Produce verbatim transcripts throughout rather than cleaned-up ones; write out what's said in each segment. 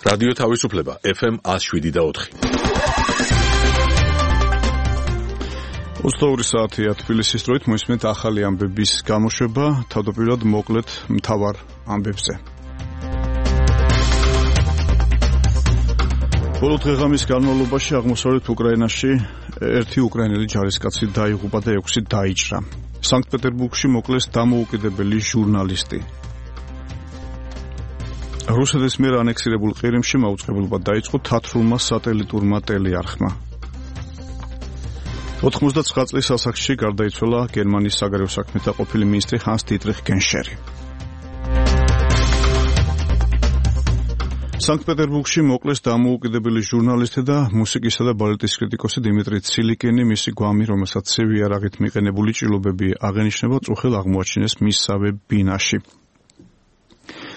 რადიო თავისუფლება ეფ ემ ათს შვიდი და ოთხი. ოცდაორი საათია თბილისის დროით მოისმენთ ახალი ამბების გამოშვება, თავდაპირველად მოკლედ მთავარ ამბებზე. ბოლო დღეღამის განმავლობაში აღმოსავლეთ უკრაინაში ერთი უკრაინელი ჯარისკაცი დაიღუპა და ექვსი დაიჭრა. სანქტ-პეტერბურგში მოკლეს დამოუკიდებელი ჟურნალისტი. რუსეთის მიერ ანექსირებულ ყირიმში მაუწყებლობა დაიწყო თათრულმა სატელიტურმა ტელეარხმა. ოთხმოცდაცხრა წლის ასაკში გარდაიცვალა გერმანიის საგარეო საქმეთა ყოფილი მინისტრი ჰანს დიტრიხ გენშერი. სანქტ-პეტერბურგში მოკლეს დამოუკიდებელი ჟურნალისტი და მუსიკისა და ბალეტის კრიტიკოსი დიმიტრი ცილიკინი. მისი გვამი, რომელსაც ცივი იარაღით მიყენებული ჭრილობები აღენიშნება, წუხელ აღმოაჩინეს მისსავე ბინაში.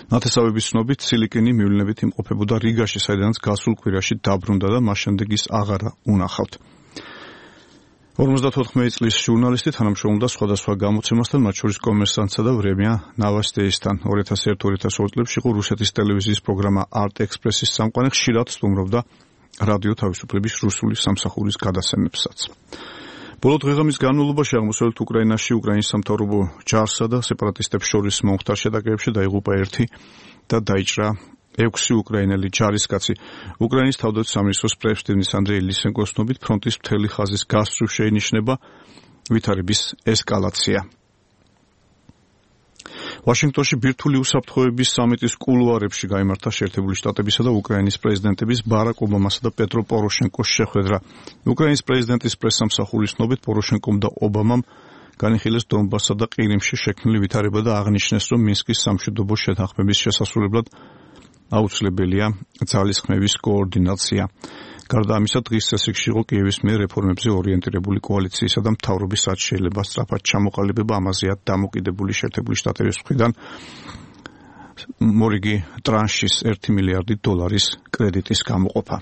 ნათესავების ცნობით ცილიკინი მივლინებით იმყოფებოდა რიგაში, საიდანაც გასულ კვირაში დაბრუნდა და მას შემდეგ ის აღარა უნახავთ. ორმოცდაოთხ წლის ჟურნალისტი თანამშრომლობდა სხვადასხვა გამოცემასთან, მათ შორის კომერსანტსა და ვრემია ნოვოსტიისთან. ორი ათას ერთი ორი ათას ორი წლებში იყო რუსეთის ტელევიზიის პროგრამა არტ ექსპრესის წამყვანი, ხშირად სტუმრობდა რადიო თავისუფლების რუსული სამსახურის გადასცემებსაც. ბოლო დღეღამის განმავლობაში აღმოსავლეთ უკრაინაში უკრაინის სამთავრობო ჯარსა და სეპარატისტებს შორის მომხდარ შეტაკებებში დაიღუპა ერთი და დაიჭრა ექვსი უკრაინელი ჯარისკაცი. უკრაინის თავდაცვის სამინისტროს პრეზიდენტის ანდრეი ლისენკოს ცნობით ფრონტის მთელი ხაზის გასწვრივ შეინიშნება ვითარების ესკალაცია. ვაშინგტონში ბირთვული უსაფრთხოების სამიტის კულუარებში გაიმართა შეერთებული შტატებისა და უკრაინის პრეზიდენტების ბარაკ ობამასა და პეტრო პოროშენკოს შეხვედრა. უკრაინის პრეზიდენტის პრესსამსახურის ცნობით პოროშენკომ და ობამამ განიხილეს დონბასსა და ყირიმში შექმნილი ვითარება და აღნიშნეს, რომ მინსკის სამშვიდობო შეთანხმების შესასრულებლად აუცილებელია ძალისხმევის კოორდინაცია. გარდა ამისა, დღის წესრიგში იყო კიევის მიერ რეფორმებზე ორიენტირებული კოალიციისა და მთავრობის რაც შეიძლება სწრაფად ჩამოყალიბება, ამაზეა დამოკიდებული შეერთებული შტატების მხრიდან მორიგი ტრანშის ერთი მილიარდი დოლარის კრედიტის გამოყოფა.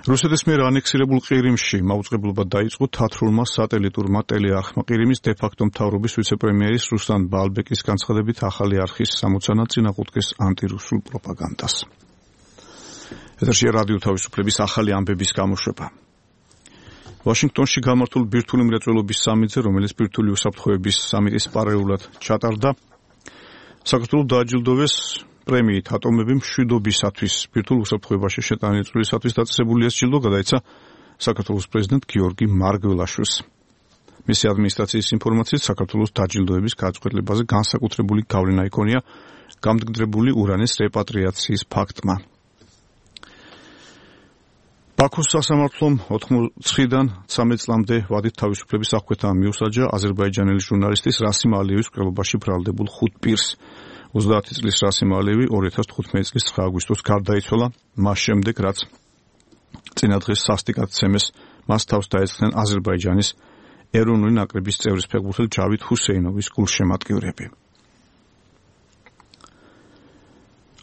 რუსეთის მიერ ანექსირებულ ყირიმში მაუწყებლობა დაიწყო თათრულმა სატელიტურმა ტელეარხმა. ყირიმის დე-ფაქტო მთავრობის ვიცე-პრემიერის რუსლან ბალბეკის განცხადებით, ახალი არხის სამოცანა წინააღმდეგეს ანტირუსულ პროპაგანდას. ეთერშია რადიო თავისუფლების ახალი ამბების გამოშვება. ვაშინგტონში გამართულ ბირთვული მრეწველობის სამიტზე, რომელიც ბირთვული უსაფრთხოების სამიტის პარალელურად ჩატარდა, საქართველოს დააჯილდოვეს პრემიით ატომები მშვიდობისათვის. ბირთვულ უსაფრთხოებაში შეტანილი წვლილისათვის დაწესებული ეს ჯილდო გადაეცა საქართველოს პრეზიდენტ გიორგი მარგველაშვილს. მისი ადმინისტრაციის ინფორმაციით, საქართველოს დაჯილდოების გადაწყვეტილებაზე განსაკუთრებული გავლენა იქონია გამდიდრებული ურანის რეპატრიაციის ფაქტმა. ბაქოს სასამართლომ ოთხმოცდაოთხიდან ცამეტ წლამდე ვადით თავისუფლების აღკვეთა მიუსაჯა აზერბაიჯანელი ჟურნალისტის რასიმ ალიევის მკვლელობაში ბრალდებულ ხუთ პირს. ოცდაათი წლის რასიმ ალიევი ორი ათას თხუთმეტი წლის ცხრა აგვისტოს გარდაიცვალა, მას შემდეგ რაც წინა დღეს სასტიკად ცემეს მას თავს დაეწყდნენ აზერბაიჯანის ეროვნული ნაკრების წევრის ფეხბურთელი ჯავიდ ჰუსეინოვის გულშემატკივრები.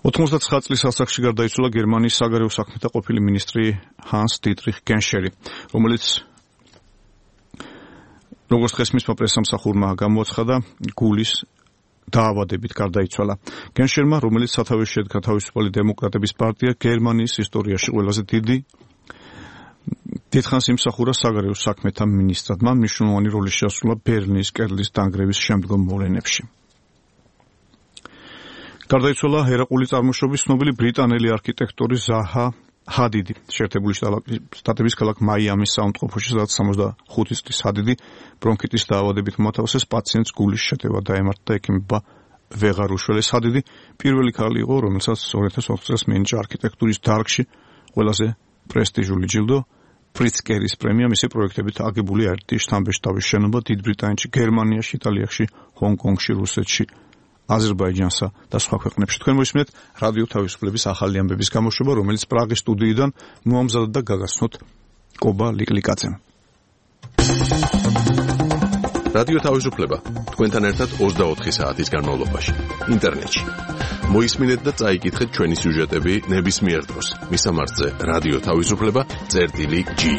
ოთხმოცდაცხრა წლის ასაკში გარდაიცვალა გერმანიის საგარეო საქმეთა ყოფილი მინისტრი ჰანს დიტრიხ გენშერი, რომელიც როგორც დღეს მისმა პრესსამსახურმა გამოაცხადა, გულის დაავადებით გარდაიცვალა. გენშერმა, რომელიც სათავეში შედგა თავისუფალი დემოკრატების პარტია, გერმანიის ისტორიაში ყველაზე დიდი დიდხანს იმსახურა საგარეო საქმეთა მინისტრად. მან მნიშვნელოვანი როლი შეასრულა ბერლინის კედლის დანგრევის შემდგომ მოვლენებში. გარდაიცვალა ერაყული წარმოშობის ცნობილი ბრიტანელი არქიტექტორი ზაჰა ჰადიდი. შეერთებული შტატების ქალაქ მაიამის საუნდტროფოში, სადაც სამოცდახუთი წლის ჰადიდი ბრონქიტის დაავადებით მოათავსეს, პაციენტს გულის შეტევა დაემართა და ექიმებმა ვეღარ უშველეს. ჰადიდი პირველი ქალი იყო, რომელსაც ორი ათას ოთხ წელს მიენიჭა არქიტექტურის დარგში ყველაზე პრესტიჟული ჯილდო პრიცკერის პრემია. მისი პროექტებით აგებული ერთი შთამბეჭდავის შენობა დიდ ბრიტანეთში, გერმანიაში, იტალიაში, ჰონგ-კონგში, რუსეთში, აზერბაიჯანსა და სხვა ქვეყნებში. თქვენ მოისმენთ რადიო თავისუფლების ახალი ამბების გამოშვება, რომელიც პრაღის სტუდიიდან მოამზადდა და გაგაცნოთ კობა ლიკლიკაძემ. რადიო თავისუფლება თქვენთან ერთად ოცდაოთხი საათის განმავლობაში ინტერნეტში. მოისმინეთ და წაიკითხეთ ჩვენი სიუჟეტები ნებისმიერ დროს. მისამართზე რადიო თავისუფლება წერტილი ჯი.